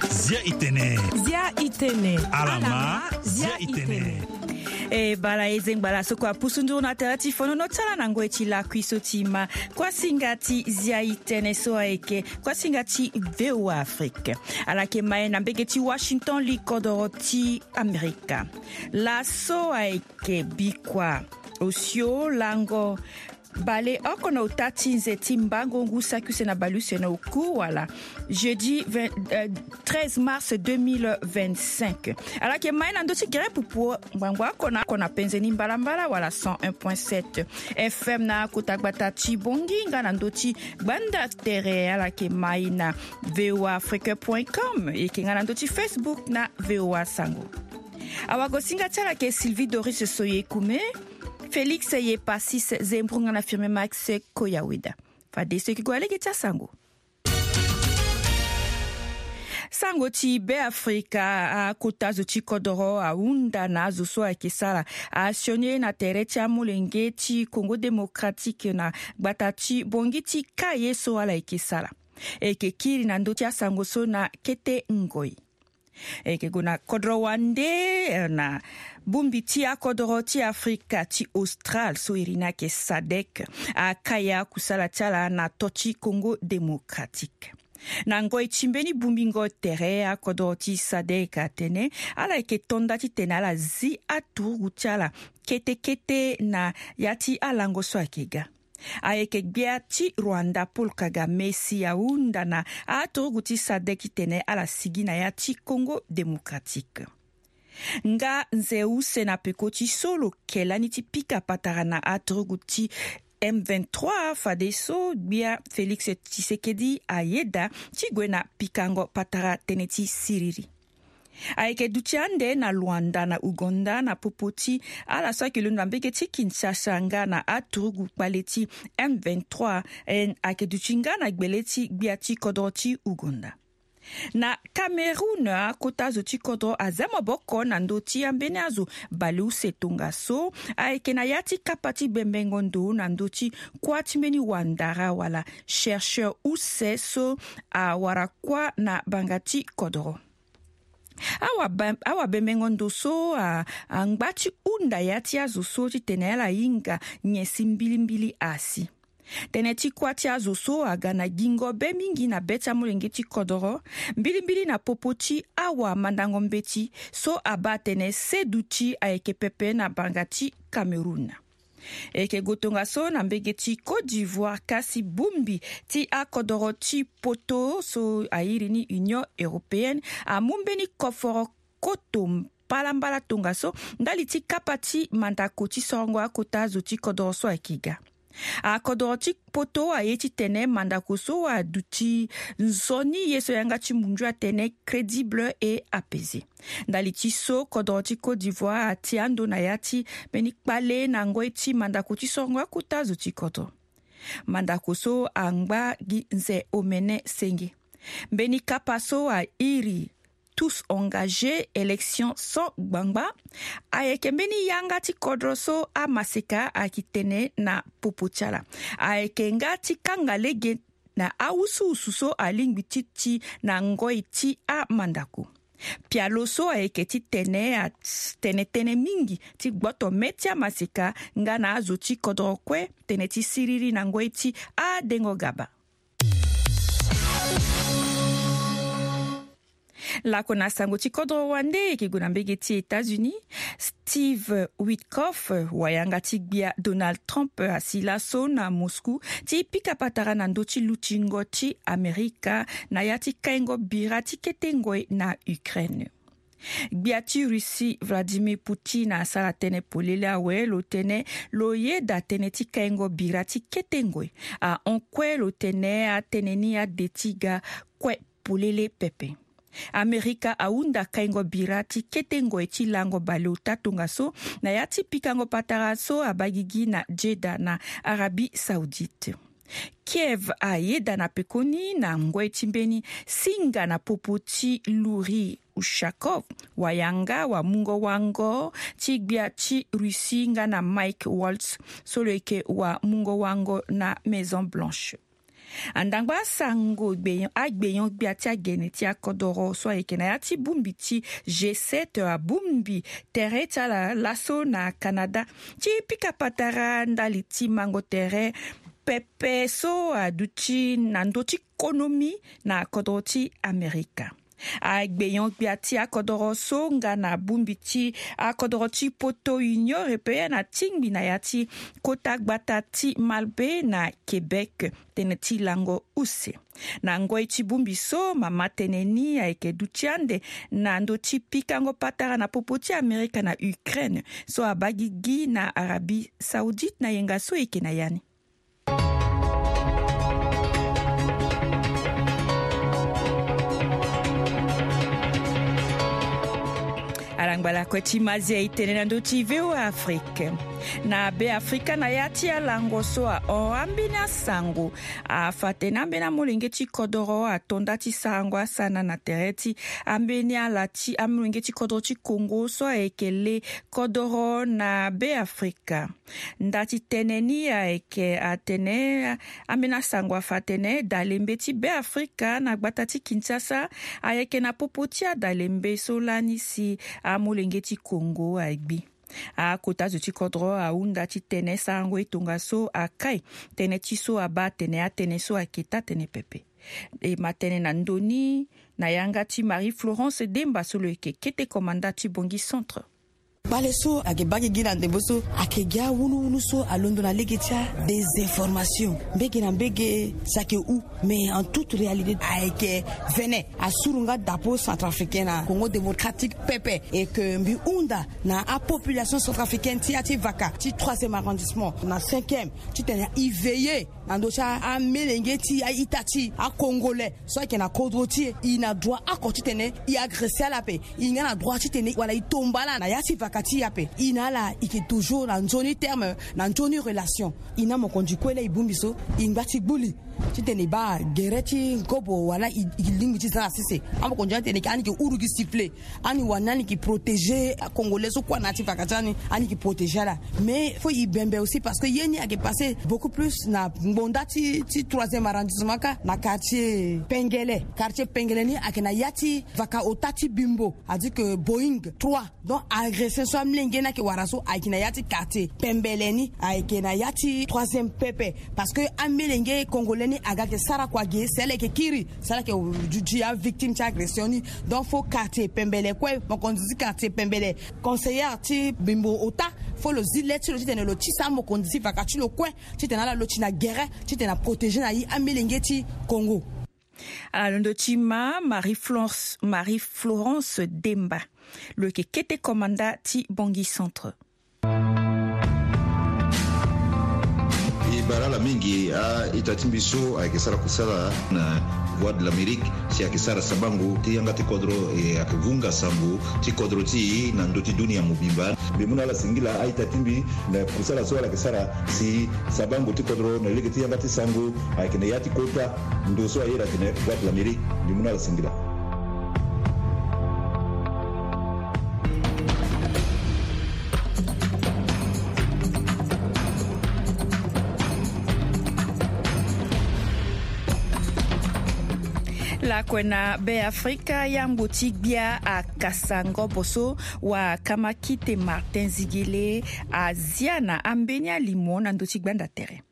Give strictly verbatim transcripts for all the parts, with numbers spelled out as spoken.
Zia itene. Zia itene. Alama, zia itene. E bala, e zengba la so kua pusu nduru na tere ti fonono ti ala na ngoi ti lakui so ti ma kuasinga ti zia itene so ayeke kuasinga ti V O A Afrique. Ala yeke ma e na mbege ti Washington, li kodoro ti Amerika. Laso ayeke bikua osio lango baleoko na ota ti nze ti mbango ngu saki use na baleuse na oku wala jeudi vingt, euh, treize mars deux mille vingt-cinq. Ala yeke ma e na ndö ti gere pupu ngbangbo oko na oko na penze ni mbalambala wala cent un point sept F M na kota gbata ti Bongi nga na ndö ti gbanda tere. Ala yeke ma e na V O A Afrique point com. E yeke nga na ndö ti Facebook na V O A Sango. Awagosinga ti ala yeke Sylvie Doris Soyekume, Félix Yepasis Zembrunga na Firme Max Koyaweda. Fadeso e yeke gue na lege ti asango. Sango ti Beafrika, akota zo ti kodoro ahunda na azo so ayeke sara asioni na tere ti amolenge ti Congo Démocratique na gbata ti Bongi ti ka ye so ala yeke sara. E yeke kiri na ndö ti asango so na kete ngoi. E yeke gue na kodro wande, eh, na bongbi ti akodro ti Afrika ti Austral so iri ni ayeke sadek, akaya kusala ti ala na to ti Congo Démocratique. Na ngoi ti mbeni bongbingo tere, akodro ti sadek atene ala yeke to nda titene ala zi aturugu ti ala kete kete na ya ti alango so ayeke ga. Ayeke gbia ti Rwanda Paul Kagame si ahunda na aturugu ti sadek titene ala sigi na ya ti Congo Démocratique. Nga nze use na peko ti so lo ke lani ti pika patara na aturugu ti M vingt-trois, fadeso gbia Félix Tshisekedi ayeda ti gue na pikango patara tënë ti siriri. Ayeke duti ande na Luanda na Uganda na popo ti ala so ayeke londo na mbege ti Kinshasa nga na aturugu kpale ti M vingt-trois, eh, ayeke duti nga na gbele ti gbia ti kodro ti Uganda. Na Cameroun, akota zo ti kodro aza maboko na ndö ti ambeni azo baleuse tongaso ayeke na ya ti kapa ti bembengo ndo na ndö ti kuâ ti mbeni wandara wala chercheur use so awara kuâ na banga ti kodro. Awa ba-, awa bembengo ndo so a, angba ti hunda ya ti azo so titene ala hinga nyen si mbilimbili asi. Tënë ti kuâ ti azo so aga na gingo be mingi na be ti amolenge ti kodoro, mbilimbili na popo ti awa mandango mbeti so abaa atene seduti ayeke pepe na banga ti Cameroun. E yeke gue tongaso na mbege ti Côte d'Ivoire, kasi bongbi ti akodoro ti poto so a iri ni Union Européenne amu mbeni koforo koto mbalambala tongaso ndali ti kapa ti mandako ti sorongo akota zo ti kodoro so ayeke ga. Akodoro ti poto aye titene mandako so aduti nzoni ye so yanga ti mundu atene crédible et apaisé. Ndali ti so kodoro ti Côte d'Ivoire ati ando na ya ti mbeni kpale na ngoi ti mandako ti sorongo akota zo ti kodoro. Mandako so angba gi nze omene senge. Mbeni kapa so airi tous engagés, élection sans gbangba. Ayeke mbeni yanga ti kodro so amaseka ayeke tene na popo ti ala. Ayeke nga ti kanga lege na awusuwusu so alingbi ti ti na ngoi ti amandako. Pialo so ayeke titene atene tënë mingi ti gboto me ti amaseka nga na azo ti kodro kue tënë ti siriri na ngoi ti adengo gaba. Lako na sango ti kodro wande, e yeke gue na mbege ti États-Unis. Steve Witkoff, wayanga ti gbia Donald Trump, asi laso na Moscou ti pika patara na ndö ti lutingo ti Amerika na ya ti kaingo bira ti kete ngoi na Ukraine. Gbia ti Russie Vladimir Poutine asara tënë polele awe, lo tene lo yeda tënë ti kaingo bira ti kete ngoi. Ahon kue lo tene atënë ni ade ti ga kue polele pepe. Amerika ahunda kaingo bira ti kete ngoi ti lango baleota tongaso na ya ti pikango patara so abaa gigi na Jeddah na Arabie Saoudite. Kiev ayeda na pekoni na ngoi ti mbeni singa na popo ti Yuri Ushakov, wayanga wamungo wango ti gbia ti Russie nga na Mike Waltz so lo yeke wamungo wango na Maison Blanche. Andangba asango gbenyo agbenyo-gbia ti agene ti akodoro so ayeke na ya ti bongbi ti G sept abongbi tere ti ala laso na Canada ti pika patara ndali ti mango tere pepe so aduti na ndö ti konomi na kodro ti Amerika. Agbenyo-gbia ti akodoro so nga na bongbi ti akodoro ti poto Union Européenne atingbi na ya ti kota gbata ti Malbaie na Québec tënë ti lango use. Na ngoi ti bongbi so mama tënë ni ayeke duti ande na ndö ti pikango patara na popo ti Amerika na Ukraine so abaa gigi na Arabie Saoudite na yenga so e yeke na ya ni. Alangba lakue ti mazia e tene na ndö ti V O A Afrique. Na Be Afrika na ya ti alango so ahon ambeni asango afa tene ambeni amolenge ti kodoro ato nda ti sarango asana na tere ti ambeni ala ti amolenge ti kodoro ti Congo so ayeke le kodoro na Be Afrika. Nda ti tënë ni ayeke atene ambeni asango afa atene dalembe ti Be Afrika na gbata ti Kinshasa ayeke na popo ti adalembe so lani si amolenge ti Congo agbi. Akota zo ti kodro ahunda ti tene sarango e tongaso akai tënë ti so abaa atene atënë so ayeke taa tënë pepe. E ma tënë na ndö ni na yanga ti Marie Florence Demba so lo yeke kete komanda ti Bongi Centre. Kpale so ayeke baa gigi na ndembo so ayeke gi awunuwunu so alondo na lege ti adésinformation mbege na mbege. Si ayeke hu, mais en toute réalité ayeke vene asuru nga dapo centrafricain na Congo démocratique pepe. Et que mbi hunda na apopulation centrafricaine ti ya ti vaka ti troisième arrondissement na cinquième titene e veiller na ndö ti amelenge ti aita ti acongolais so ayeke na kodro ti e. E na droit oko titene e agresse ala ape. E nga na droit titene wala e tomba ala na ya ti vaka ti e ape. E na ala e yeke toujours na nzoni terme, na nzoni relation. E na mokonzi kue laa e bongbi so e ngba ti gbu li titene e baa gere ti nkobo wala e lingbi ti za na sese. Amokonzi ni atene ake ani yeke huru gi sifflet. Ani wani ani yeke protéger acongolais so kue na ya ti vaka ti ani, ani yeke protéger ala. Mais faut e bembe aussi parce que ye ni ayeke passer beaucoup plus na ngbonda ti troisième arrondissement kâ na quartier Pengele. Quartier Pengele ni ayeke na ya ti vaka ota ti Bimbo, a dit que Boeing trois. Donc agression so amlenge ni ayeke wara so ayeke na ya ti quartier Pembele ni, ayeke na ya ti troisième pepe. Parce que amelenge congolais ni aga yeke sara kua ge si ala yeke kiri si ala yeke duti avictime ti agression ni. Donc faut quartier Pembele kue, mokonzi ti quartier Pembele, conseillère ti Bimbo ota, faut lo zi le ti lo titene lo tisa amokonzi ti vaka ti lo kue titene ala lo ti na gere titene aprotéger na ye amelenge ti Congo. Ala londo ti ma Marie Florence Demba, lo yeke kete komanda ti Bongi Centre. E baa ala mingi a-ita ti mbi so ayeke sara kusala na Voix de l'Amérique si ayeke sara sabango ti yanga ti kodro e ayeke vunga sango ti kodro ti e na ndö ti dunia mobimba. Mbi mu na ala singila a-ita ti mbi na kusala so ala yeke sara si sabango ti kodro na lege ti yanga ti sango ayeke na ya ti kota ndo so a iri atene Voix de l'Amérique. Mbi mu na ala singila. Lakue na Be Afrika, yambo ti gbia akasa ngobo so wa kamakite Martin Zigele azia na ambeni alimo na ndö ti gbanda tere.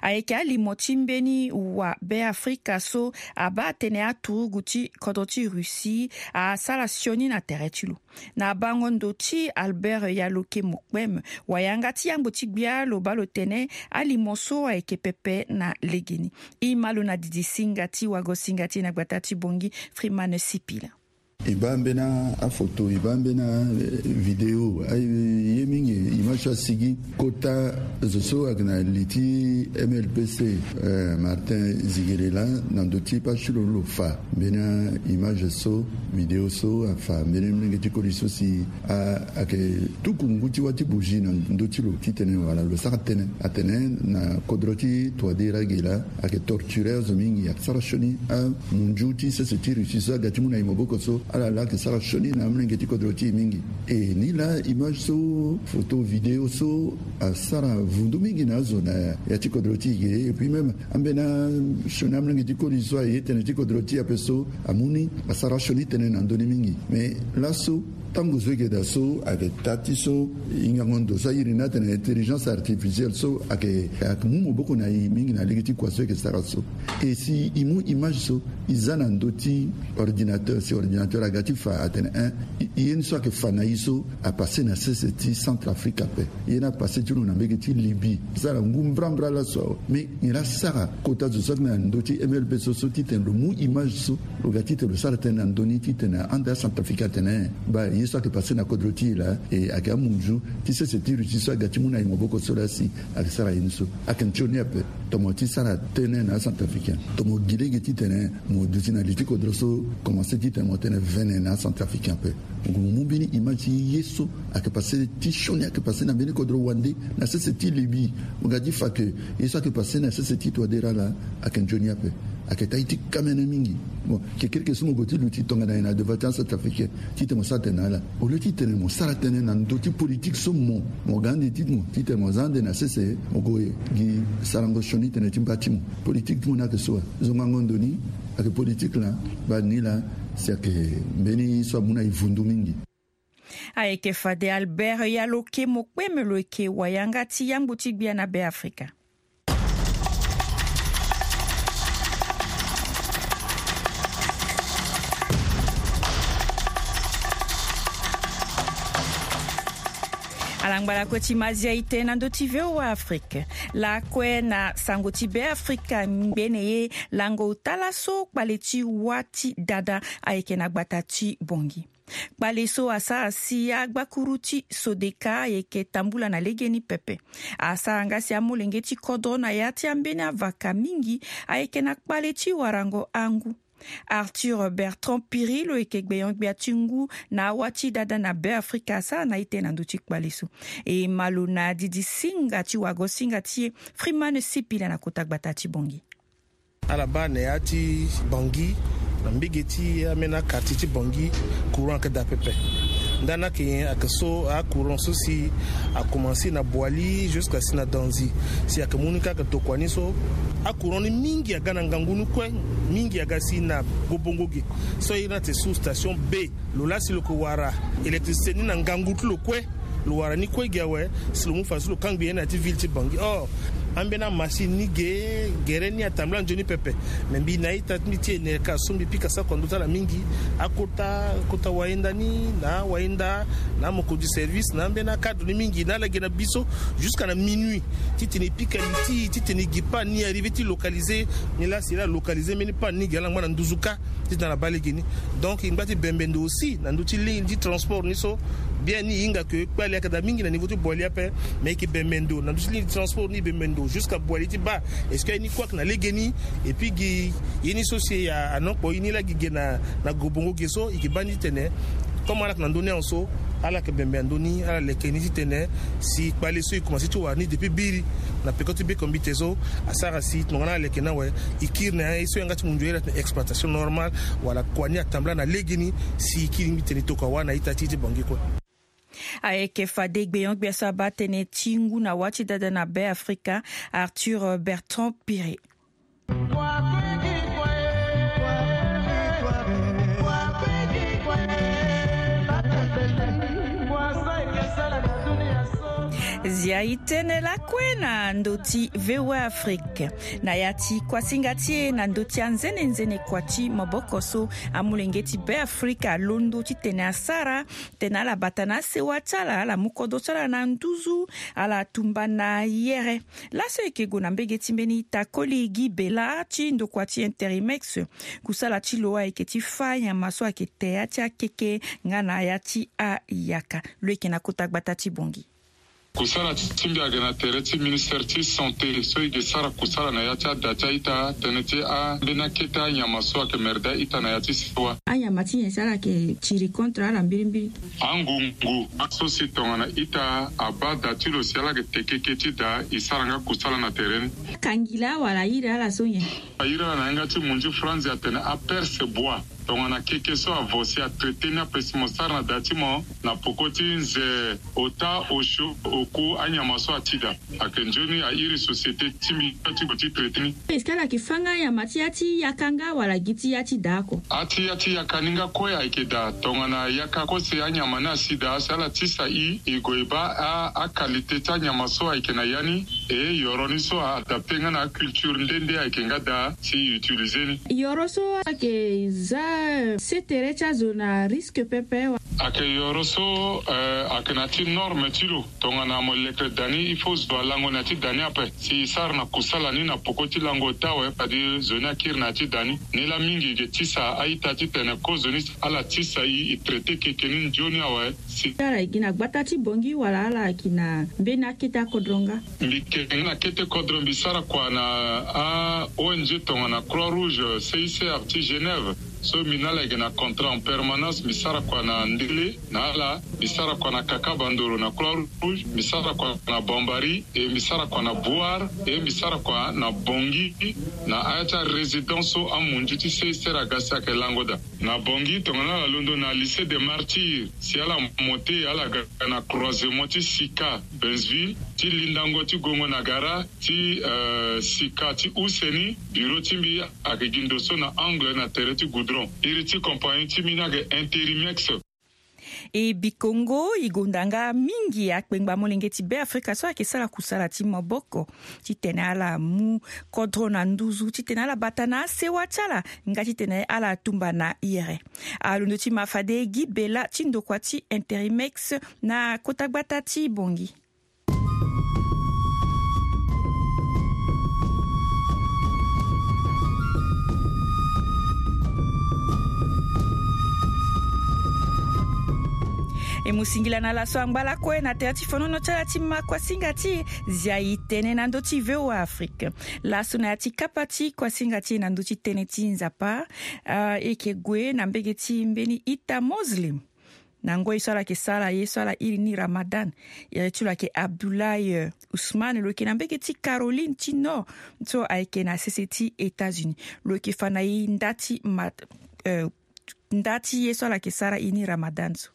Ayeke alimo ti mbeni wa Be Afrika so abaa tënë aturugu ti kodro ti Russie asara sioni na tere ti lo. Na bango ndo ti Albert Yaloke Mokpem, wayanga ti yambo ti gbia lo baa lo tene alimo so ayeke pepe na legeni. E ma lo na didi singa ti wago singa ti e na gbata ti Bongi, Freeman Sipila. E baa mbeni afoto, e baa mbeni avidéo, aye mingi, image asigi. Kota zo so ayeke na li ti M L P C, eh, Martin Zigele laa na ndö ti page ti lo, lo fa mbeni aimage so, vidéo so afa mbeni molenge ti koli so si ayeke tuku ngu ti wâ ti bougie na ndö ti lo titene wala lo sara tënë atene na kodro ti Touadéra ge laa ayeke torturer azo mingi, ayeke sara sioni amunzu ti sese ti Russie so aga ti mu na e maboko so. Ala laa ayeke sara sioni na amolenge ti kodro ti e mingi. E ni laa image so, photo, vidéo so asara vundu mingi na azo na ya ti kodro ti e ge. Et puis même ambeni asioni amolenge ti koli so aye tënë ti kodro ti e ape so amu ni, asara sioni tënë na ndö ni mingi. Mais laso tango so e yeke daa so ayeke taa ti so hingango ndo so a iri ni atene intelligence artificielle so ayeke, ayeke mu maboko na e mingi na lege ti kua so e yeke sara so. E si e mu image so e za na ndö ti ordinateur, si ordinateur aga ti fa atene, hein, e, e ye ni so ayeke fa na e so apasse na sese ti Centrafrique ape. E ye ni apasse ti lo na mbege ti Libye. Asara ngu mbrambra laso awe. Mais nyen laa asara kota zo so ayeke na ndö ti M L B so, so titene lo mu image so, lo ga titene lo sara tënë na ndö ni titene ande aCentrafricain atene, eh, baa, ye so ayeke passe na kodro ti e laa, e ayeke amunzu ti sese ti Russie so aga ti mu na e maboko so laa si ayeke sara ye ni so. Ayeke nzoni ape. Tomo ti sara tënë na aCentrafricain. Tomo gi lege titene mo duti na li ti kodro so, komanse titene mo tene vene na aCentrafricain ape. Mo mu mbeni image ti ye so ayeke passe ti sioni ayeke passe na mbeni kodro wande na sese ti Libye. Mo ga ti fa ke ye so ayeke passe na sese ti Touadéra laa ayeke nzoni ape. Ayeke taa ti kamene mingi. Bon, kekereke so mo gue ti luti tongana nyen na devant ti aCentrafricain titene mo sara tënë na ala? Au lieu titene mo sara tënë na ndö ti politique so mo, mo ga ande ti mo titene mo za ande na sese, mo gue gi sarango sioni tënë ti mba ti mo. Politique ti mo ni ayeke so wa? Zongango ndo ni ayeke politique laa, baa ni laa si ayeke mbeni so amu na e vundu mingi. Ayeke fade Albert Yaloke Mokpeme, lo yeke wayanga ti yangbo ti gbia na Beafrika. Ala ngba lakue ti mazia ite na ndö ti V O A Afrique. Lakue na sango ti Beafrika, ngbene ye lango ota laso kpale ti wâ ti dada ayeke na gbata ti Bangui. Kpale so asara si agbakuru ti Sodeka ayeke tambula na legeni pepe. Asara nga si amolenge ti kodro na ya ti ambeni avaka mingi ayeke na kpale ti warango angu. Arthur Bertrand Piri, lo yeke gbenyo-gbia ti ngu na awâ ti dada na Beafrika, asara na ite na ndö ti kpale so. E ma lo na didi singa ti wago singa ti e, Freeman Sipila na kota gbata ti Bangui. Ala baa na ya ti Bangui, na mbege ti ambeni quartier ti Bangui, courant ayeke daa pepe. Ndani ayeke nyen? Ayeke so acourant so si akomanse na Boali jusqu'à si na Danzi. Si ayeke mu ni kâ ayeke tokua ni so, acourant ni mingi aga na ngangu ni kue, mingi aga si na Gobongo ge. So a iri ni atene sous station B. Lo laa si lo yeke wara électricité ni na ngangu ti lo kue, lo wara ni kue gi awe, si lo mu fa so lo kangbi ye na ya ti ville ti Bangui. Or, ambeni amachine ni ge, gere ni atambula nzoni pepe. Me mbi na a-ita ti mbi ti Enelka so mbi pika sako na ndö ti ala mingi. Akota, akota wayenda ni, na awayenda, na amokonzi service, na ambeni acadre ni mingi, na ala ge na biso, jusqu'à na minuit. Titene e pika li ti, titene e gi panne ni, arrivé ti localiser. Ni laa si ala localiser mbeni panne ni gi ala ngba na nduzu kâ. Titene ala baa lege ni. Donc e ngba ti bembe ndo aussi na ndö ti ligne ti transport ni so. Bien ni e hinga ke kpale ayeke daa mingi na niveau ti Boali ape. Mais e yeke bembe ndo na ndö ti ligne ti transport ni, e bembe ndo jusqu'à Boali ti baa est-ce que aye ni kue ayeke na legeni? Et puis gi ye ni so si a, anokpo ye ni laa gi ge na, na Gobongo ge so, e yeke baa ni titene comme ala yeke na ndö ni awe so, ala yeke bembe na ndö ni, ala leke ni titene si kpale so e komanse ti wara ni depuis biri na peko ti bekombite so, asara si tongana ala leke ni awe, e kiri na ye so yanga ti mundu ye laa titene exploitation normale, wala kua ni atambula na legeni, si e kiri ni titene e tokua wâ na a-ita ti e ti Bangui kue. Ayeke fade gbenyo-gbia so abaa tënë ti ngu na wâ ti dada na Beafrika, Arthur Bertrand Piri. Zia e tene lakue na ndö ti V O A Afrique. Na ya ti kuasinga ti e na ndö ti anzenenzene kua ti maboko so, amolenge ti Beafrika alondo titene asara tene ala bata na asewa ti ala, ala mu kodro ti ala na nduzu, ala tumba na yere. Laso e yeke gue na mbege ti mbeni ita koli Guy Bella ti ndokua ti Interimex. Kusala ti lo ayeke ti fâ nyama so ayeke te ya ti akeke nga na ya ti ayaka. Lo yeke na kota gbata ti Bangui. Kusala ti mbi ayeke na tere ti ministere ti santé so e ke sara kusala na ya ti ada ti a-ita tënë ti ambeni akete anyama so ayeke mere daa ita na ya ti sewa. Anyama ti nyen si ala yeke tiri contre ala mbirimbiri? Angungu so si tongana ita abaa da ti lo si ala yeke teke keke ti da, e sara nga kusala na tere ni. Akangila wala airi ala so nyen? Airi ala na yanga ti munzu franzi atene aperce bois. Tongana keke so avo si atraité ni ape si mo sara na da ti mo na poko ti nze ota osio oku anyama so ati da. Ayeke nzoni airi société ti mbi ti gue ti traité ni. Est-ce que ala yeke fâ nga anyama ti ya ti yaka nga wala gi ti ya ti da oko? A ti ya ti yaka ni nga kue ayeke daa. Tongana yaka kue si anyama ni asi daa si ala tisa i, e gue e baa a, a qualité ti anyama so ayeke na ya ni. E yoro ni so a adapté nga na aculture nde nde ayeke nga daa si e utilisé ni. Yoro so ayeke za sese tere ti azo na risque pepe wa? Ayeke yoro so, eh, ayeke na ya ti norme ti lo. Tongana mo leke da ni, il faut zo alango na ya ti da ni ape si e sara na kusala ni na poko ti lango ota awe, fade zo ni akiri na ya ti da ni. Ni laa mingi e ke tisa a-ita titene kozoni ala tisa i, e traité keke ni nzoni awe. Si ala yeke gi na gbata ti Bangui wala ala yeke gi na mbeni akete akodro nga? Mbi yeke gi na kete kodro, mbi sara kua na a-O N G tongana Croix Rouge, C I C R ti Genève. So mbi na ala yeke na contrat en permanence, mbi sara kua na Ndele na ala, mbi sara kua na Kakabandoro na Croix Rouge, mbi sara kua na Bambari, e mbi sara kua na Bouar, e mbi sara kua na Bangui, na aya ti arésidence so amunzu ti C I C R aga si ayeke lango daa. Na Bangui tongana ala londo na Lycée des Martyrs, si ala monté, ala ga na croisement ti Sika Bensville, ti lindango ti Gongo na Gara, ti, eh, Sika ti use ni, bureau ti mbi ayeke gi ndo so na angle na tere ti goudron. Iri ti compagnie ti mbi ni ayeke Interimex. E bikongo e gonda nga mingi akpengba molenge ti Beafrika so ayeke sara kusala ti maboko titene ala mu kodro na nduzu, titene ala bata na asewa ti ala, nga titene ala tumba na iri. Alondo ti ma fade Guy Bella ti ndokua ti Interimex na kota gbata ti Bangui. E mu singila na laso angba lakue na tere ti fonono ti ala ti ma kuasinga ti e. Zia e tene na ndö ti V O A Afrique. Laso na ya ti kapa ti kuasinga ti e na ndö ti tënë ti Nzapa, ah, e yeke gue na mbege ti mbeni ita Muslim. Na ngoi so ala yeke sara ye so ala iri ni Ramadan, iri ti lo ayeke Abdoulaye, eh, Ousmane, lo yeke na mbege ti Caroline ti Nord so ayeke na sese ti États-Unis. Lo yeke fa na e nda ti ma, eh, nda ti ye so ala yeke sara e ni Ramadan so.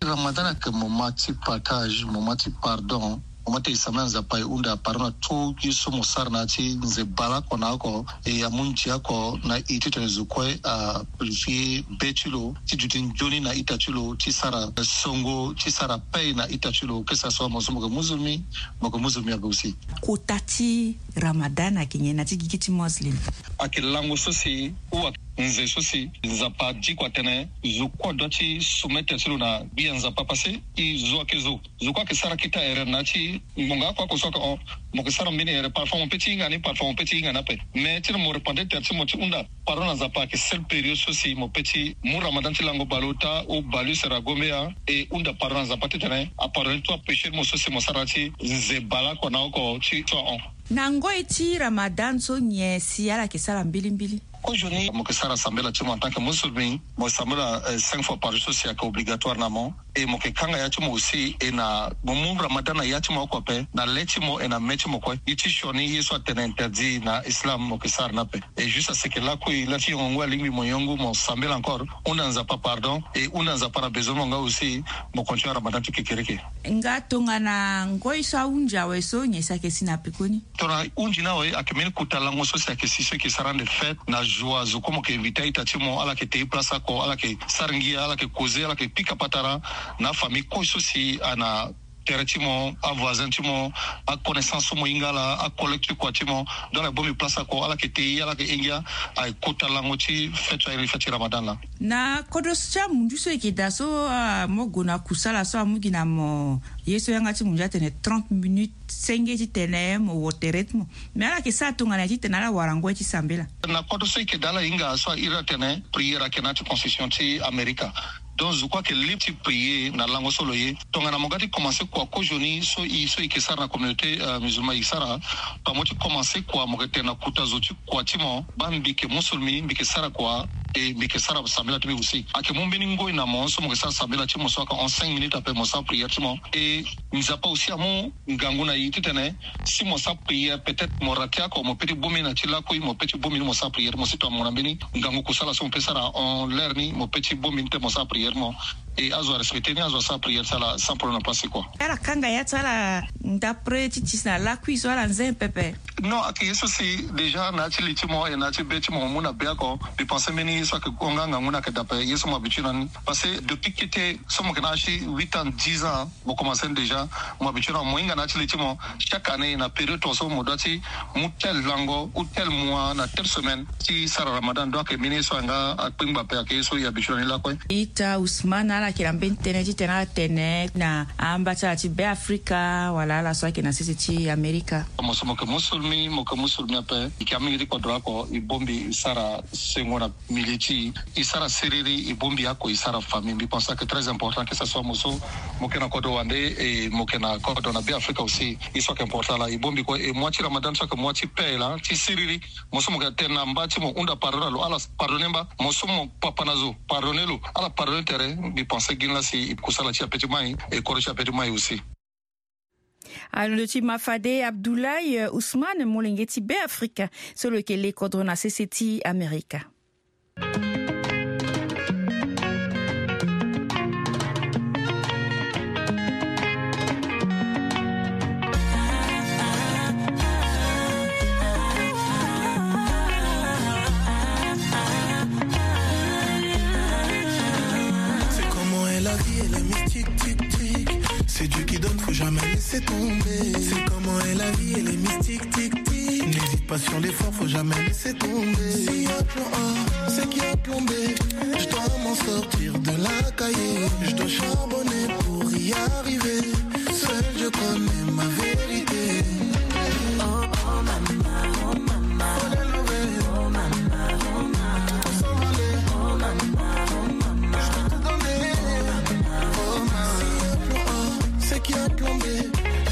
Ramadan ayeke moment ti partage, moment ti pardon. Mo ma ti e sambela Nzapa e hunda pardon na tout ye so mo sara na ya ti nze bale oko na oko, e amu ndia oko na e titene zo kue a purifier be ti lo ti duti nzoni na ita ti lo ti sara songo ti sara paix na ita ti lo. Kesa so mo so mo yeke musulmi, mo yeke musulmi ape aussi. Kota ti Ramadan ayeke nyen na ti gigi ti Muslim? Ayeke lango so si ou ayeke nze so si Nzapa adiko atene zo kue adoit ti soumettre ti lo na gbia Nzapa, parce que e zo ayeke zo. Zo kue ayeke sara kita erreur na ya ti ngonga oko oko so ayeke hon. Mo yeke sara mbeni erreur, parfois mo peut ti hinga ni, parfois mo peut ti hinga ni ape. Mais titene mo repentir tere ti mo ti hunda pardon na Nzapa ayeke seule période so si mo peut ti mu Ramadan ti lango baleota ou baleuse ra gombe ya, e hunda pardon na Nzapa titene apardonner tout apéché ti mo so si mo sara na ya ti nze bale oko na oko ti so ahon. Na ngoi ti Ramadan so nyen si ala yeke sara mbilimbili? Kozoni mo yeke sara sambela ti mo en tant que musulmi, mo sambela, eh, cinq fois par jour so si ayeke obligatoire na mo. E mo yeke kanga ya ti mo aussi, e na mo mu Ramadan na ya ti mo oko ape, na le ti mo e na me ti mo kue. Ye ti sioni ye so atene interdit na Islam mo yeke sara ni ape. Et juste à ce que lakui la ti yongo ngoi alingbi mo yongu mo sambela encore, hunda Nzapa pardon, et hunda Nzapa na besoin mo nga aussi mo continue Ramadan ti kekereke. Nga tongana ngoi so ahunzi awe so nyen si ayeke si na pekoni? Tongana hunzi ni awe ayeke mbeni kota lango so si ayeke si so e yeke sara ande fête na joie, zo kue mo yeke invité a-ita ti mo, ala yeke te place oko, ala yeke sara ngia, ala yeke causer, ala yeke pika patara na afamille kue so si ana tere ti mo, avoisin ti mo, aconnaissance so mo hinga ala, acollègue ti kua ti mo. Donc ala bongbi place oko, ala yeke te ye, ala yeke he ngia. Aye kota lango ti fête so ayeke fête ti Ramadan laa. Na kodro so ti amunzu so e yeke daa so, ah, mo gue na kusala so amu gi na mo ye so yanga ti munzu atene trente minutes senge titene mo wo tere ti mo. Mais ala yeke sara tongana nyen titene ala wara ngoi ti sambela? Na kodro so e yeke daa ala hinga so airi atene prière ayeke na ya ti constitution ti Amerika. Donc zo kue ayeke libre ti prier na lango so lo ye. Tongana mo ga ti commencer kua kozoni so i so i yeke sara na communauté musulman i sara, pamo ti commencer kua mo yeke tene na kota zo ti kua ti mo, baa mbi yeke musulmi, mbi yeke sara kua, e mbi yeke sara sambela ti mbi aussi. Ayeke mu mbeni ngoi na mo so mo yeke sara sambela ti mo so ayeke en cinq minutes ape mo sara prière ti mo. E Nzapa aussi amu ngangu na e titene si mo sara prière, peut-être mo rate oko, mo pe ti bongbi na ti lakui, mo pe ti bongbi ni mo sara prière ti mo si tongana mo na mbeni ngangu kusala so mo pe sara en l'heure ni, mo pe ti bongbi ni te mo sara prière ti mo. E azo arespecter ni, azo asara prière ti ala sans problème na place ti kua. Ala kanga ya ti ala ndapre ti tisi na lakui so ala nze pepe. Non, ayeke ye so si déjà na ya ti li ti mo e na ya ti be ti mo mo mu na be oko. Mbi pense mbeni ye so ayeke gonga ngangu ni ayeke dape ye so mo habitué na ni. Parce que depuis kete so mo yeke na âge ti huit ans, dix ans, mo commencé ni déjà. Mo habitué na mo hinga na ya ti li ti mo. Chaque année na période tongaso mo doit ti mu tel lango ou tel mois na tel semaine ti sara ramadan. Donc ayeke mbeni ye so ayeke nga akpengba ape, ayeke ye so e habitué na ni lakue. Ita Ousmane, ala yeke na mbeni tënë titene ala tene na amba ti ala ti Be Afrika wala ala so ayeke na sese ti Amerika? Mo so mo yeke musulmi, mo yeke musulmi ape. E yeke amingi ti kodro oko e bongbi e sara sengo na milieu ti e, e sara siriri, e bongbi oko e sara famille. Mbi pense ayeke très important que ça soit mo so mo yeke na kodro wande, e mo yeke na kodro na Be Afrika aussi. E so ayeke important laa e bongbi kue. E mois ti ramadan so ayeke mois ti paix laa ti siriri. Mo so mo yeke tene na mba ti mo hunda pardon na lo, ala pardonner mba. Mo so mo papa na zo pardonner lo, ala pardonner tere. Mbi pense gi ni laa si e kusala ti e ape ti mai, e kodro ti e ape ti mai aussi. Alondo ti ma fade Abdoulaye Ousmane, molenge ti Be Afrika so lo yeke le kodro na sese ti Amerika. C'est comment est la vie, elle est mystique, tic, tic. C'est Dieu qui donne, faut jamais laisser tomber. C'est comment est la vie, elle est mystique, tic, tic. N'hésite pas sur l'effort, faut jamais laisser tomber. S'il y a plan A, c'est qu'il y a plan B. Je dois m'en sortir de la cahier. Je dois charbonner pour y arriver. Seul Dieu connaît ma vérité. Oh, oh, maman, oh, maman. Faut les lever. Oh, maman, oh, maman. Faut s'envoler. Oh, maman, oh, maman. Je vais tout donner. Oh, maman. S'il y a plan A, c'est qu'il y a plan B.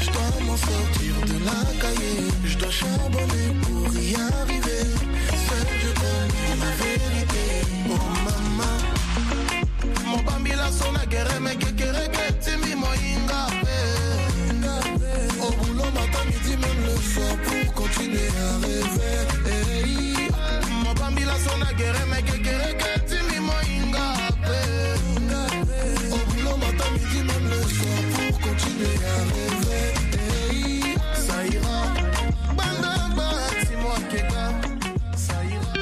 Je dois m'en sortir de la cahier. Je dois charbonner pour y arriver. Seul Dieu connaît ma vérité. Oh, maman. Mo bambila so na gere me kekereke ti mbi mo hinga pe. Au boulot matin, midi, même le soir pour continuer à rêver. Hey. Mo bambila so na gere me kekereke ti mbi mo hinga pe. Au boulot matin, midi, même le soir pour continuer à rêver. Hey. Ça ira. Banda ba ti mo keka. Ça ira.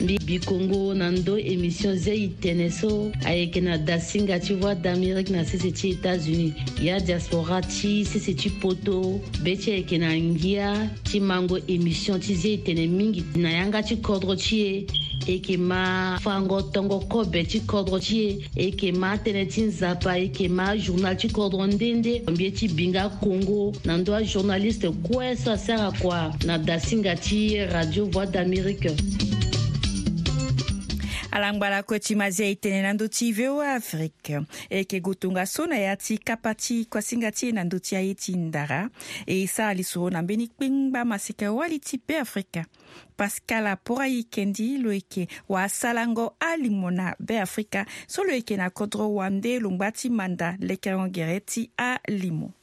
Mbi bikongo na ndo émission Zia e tene so ayeke na dasinga ti Voix d'Amérique na sese ti États-Unis. Ya diaspora ti sese ti poto, be ti e ayeke na ngia ti mango émission ti Zia e tene mingi na yanga ti kodro ti e. E yeke ma fango tongo kobe ti kodro ti e. E yeke ma tënë ti Nzapa, e yeke ma journal ti kodro nde nde. Mbi ye ti bi nga kongo na ndo ajournaliste kue so asara kua na dasinga ti Radio Voix d'Amérique. Ala ngba lakue ti ma Zia e tene na ndö ti V O A Afrique. E yeke gue tongaso na ya ti kapa ti kuasinga ti e na ndö ti aye ti ndara. E sara lisoro na mbeni kpengba maseka-wali ti Be Afrika. Pascal Aporayi Kendi lo yeke wasalango alimo na Be Afrika so lo yeke na kodro wande lo ngba ti manda lekerengo gere ti alimo.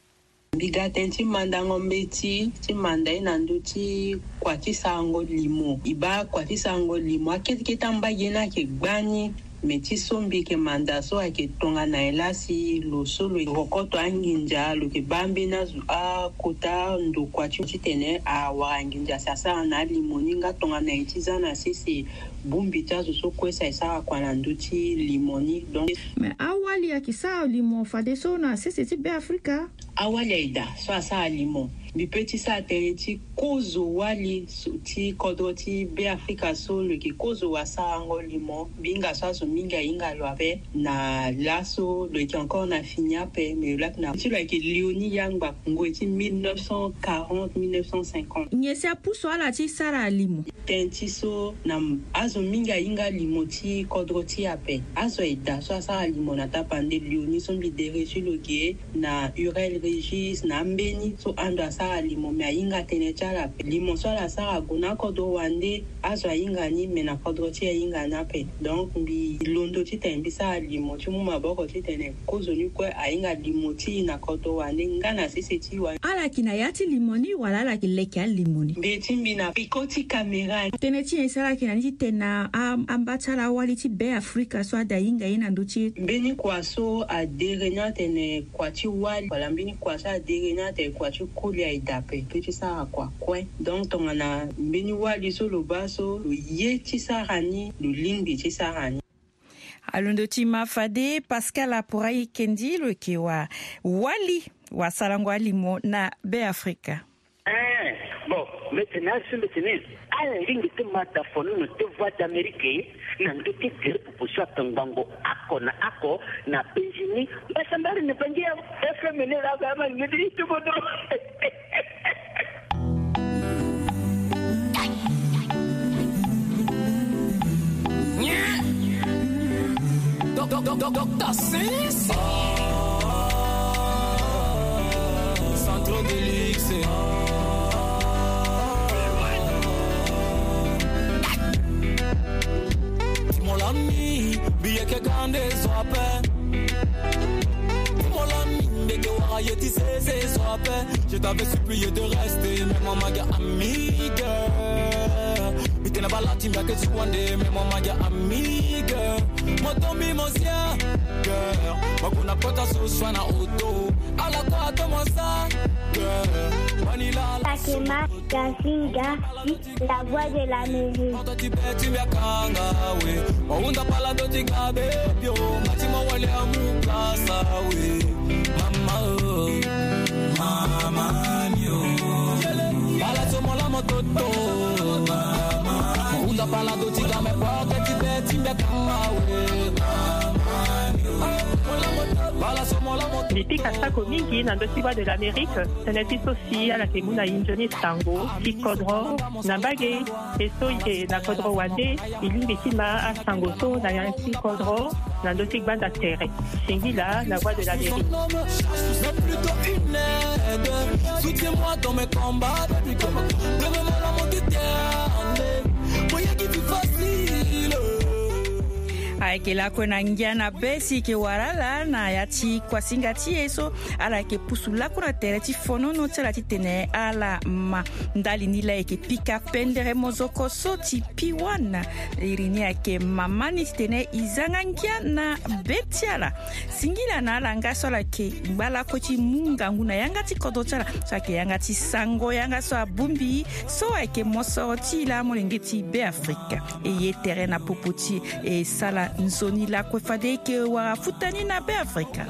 Mbi ga tënë ti mandango mbeti ti manda ye na ndö ti kua ti sarango limo. E baa kua ti sarango limo akete kete ambage ni ayeke gbani. Me ti so mbi yeke manda so ayeke tongana nyen laa si lo so lo yeke kokoto anginza lo yeke baa mbeni azo akota ndokua ti titene awara nginza si asara na alimo ni nga tongana nyen ti za na sese bongbi ti azo so kue si aye sara kua na ndö ti limo ni. Donc. Me awali ayeke sara limo fadeso na sese ti Be Afrika? Awali aye daa so asara limo. Mbi pe ti sara tënë ti kozo wali so ti kodro ti Beafrika so lo yeke kozo wasarango limo. Mbi hinga so azo mingi ahinga lo ape na laso lo yeke encore na fini ape, me lo laki na ti lo ayeke Léonie Yangba, ngoi ti mille neuf cent quarante, mille neuf cent cinquante. Nyen si apusu ala ti sara limo? Tënë ti so na azo mingi ahinga limo ti kodro ti e ape. Azo aye daa so asara limo na tapande Léonie so mbi dere ti lo ge, na Hurel Régis, na ambeni so ando asara limo, me ahinga tënë ti ala ape. Limo so ala sara ague na akodro wande, azo ahinga ni, me na kodro ti e ahinga ni ape. Donc mbi londo titene mbi sara limo ti mu maboko titene kozoni kue ahinga limo ti e na kodro wande nga na sese ti wande. Ala yeke na ya ti limo ni wala ala yeke leke alimo ni? Mbi ti mbi na peko ti kamera. Tënë ti nyen si ala yeke na ni titene a, amba ti ala awali ti Beafrika so ada hinga ye na ndö ti e? Mbeni kua so adere ni atene kua ti wali, wala mbeni kua so adere ni atene kua ti koli aye daa ape, pe ti sara kua kue. Donc tongana mbeni wali so lo baa so lo ye ti sara ni, lo lingbi ti sara ni. Alondo ti ma fade Pascal Apurai Kendi lo yeke wa wali wasarango alimo na Beafrika. Eh, bon, mbi tene asi mbi tene ala lingbi ti ma da fono na te Voix d'Amérique na ndö ti gere popo so atongbango oko na oko na penzi ni. Mbasambari ni bangi ya F M ni la ba ma ngedi ti bodo. Docteur Sins. Sans trop de luxe. Ti mo lani, mbi yeke ga nde zo ape. Ti mo lani, mbi yeke wara ye ti sese zo ape. Je t'avais supplié de rester, mais maman ga amiga. Mbi tene bala ti mbi ayeke ti wande, mais maman ga amiga. Mo tombi mo sia, girl. Mo gue na kota so so na auto. Ala kua to mo sa, girl. Manila la. Fatima Gazinga. La Voix de l'Amérique. Mbi pika sako mingi na ndö ti Voix de l'Amérique, tënë ti so si ala yeke mu na e nzoni sango ti kodro na mbage. E so e yeke na kodro wande, e lingbi ti ma asango so na ya ti kodro na ndö ti gbanda tere. Singila na Voix de l'Amérique. Soutiens-moi dans mes combats, baby girl. Donne-moi l'amour éternel. Moyen qui vit facile. Ayeke lakue na ngia na be si e yeke wara ala na ya ti kuasinga ti e so ala yeke pusu lakue na tere ti fonono ti ala titene ala ma. Ndali ni laa e yeke pika pendere mozoko so ti Piwana. Iri ni ayeke mama ni titene e zanga ngia na be ti ala. Singila na ala nga so ala yeke ngba lakue ti mu ngangu na yanga ti kodro ti ala so ayeke yanga ti sango, yanga so abongbi so ayeke mosoro ti e laa molenge ti Beafrika. E ye tere na popo ti e, e sara nzoni lakue fade e yeke wara futa ni na Beafrika.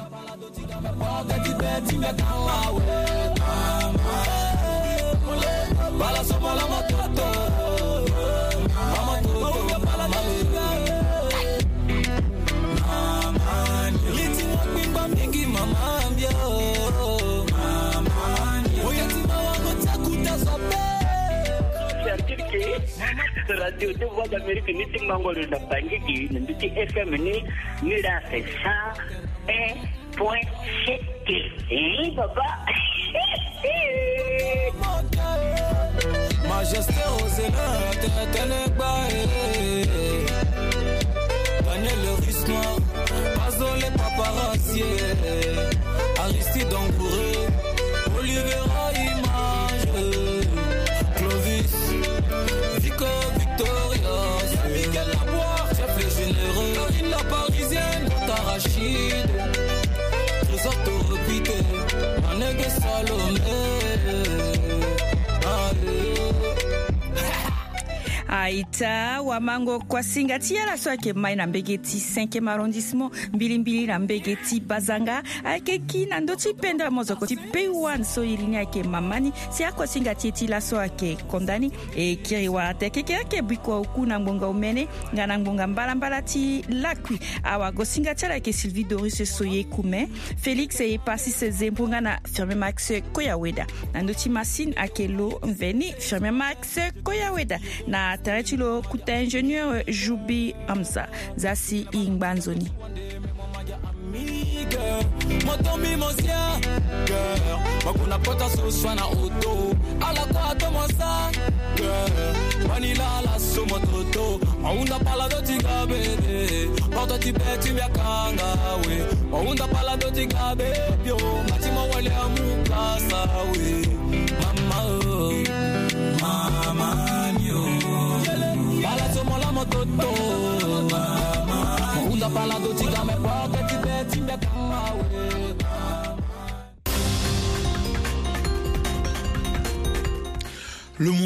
Radio de Voix d'Amérique ni ti mango lo na Bangui gi na ndö ti F M ni, ni la c'est cent un point sept. Eh, papa. Majesté aux élèves, tenegba, eh. Daniel le Russe Noir, Pazo les paparazzi, eh. Aristide Angouré, Olivera Image, eh. Clovis, Vico Victoria, Miguel Laboire, chef les généreux, Karine la parisienne, Tata Rachid, Trésor Toropite, Manege Salomé. Allez. Aita wamango kuasinga ti ala so ayeke mai na mbege ti cinquième arrondissement, mbilimbili na mbege ti Bazanga, ayeke ki na ndö ti pendere mozoko ti Peiwan so iri ni ayeke mama ni. Si akuasinga ti e ti laso ayeke konda ni. E kiri wara te keke ayeke bikua oku na ngbonga omene nga na ngbonga mbalambala ti lakui. Awagosinga ti ala ayeke Sylvie Doris Soye Kume, Félix Epasis Zembo nga na Firmin Max Koyaweda. Na ndö ti masine ayeke lo mveni Firmin Max Koyaweda. Na tere ti lo kuta ingénieur Joubi Hamza. Za si i ngba nzoni. Moto mbi mo sia. Makuna kota so swa na oto. Ala kua to mo sa. Manila la so mo toto. Maunda pala do ti gabe. Porte ti be ti mia kanga we. Maunda pala do ti gabe. Bio. Mati mo wale amu kasa we. Mama o. Mama ni o. Pala so mo la mo toto. Maunda pala do ti gabe. Porte ti be ti mia kanga we. Le monde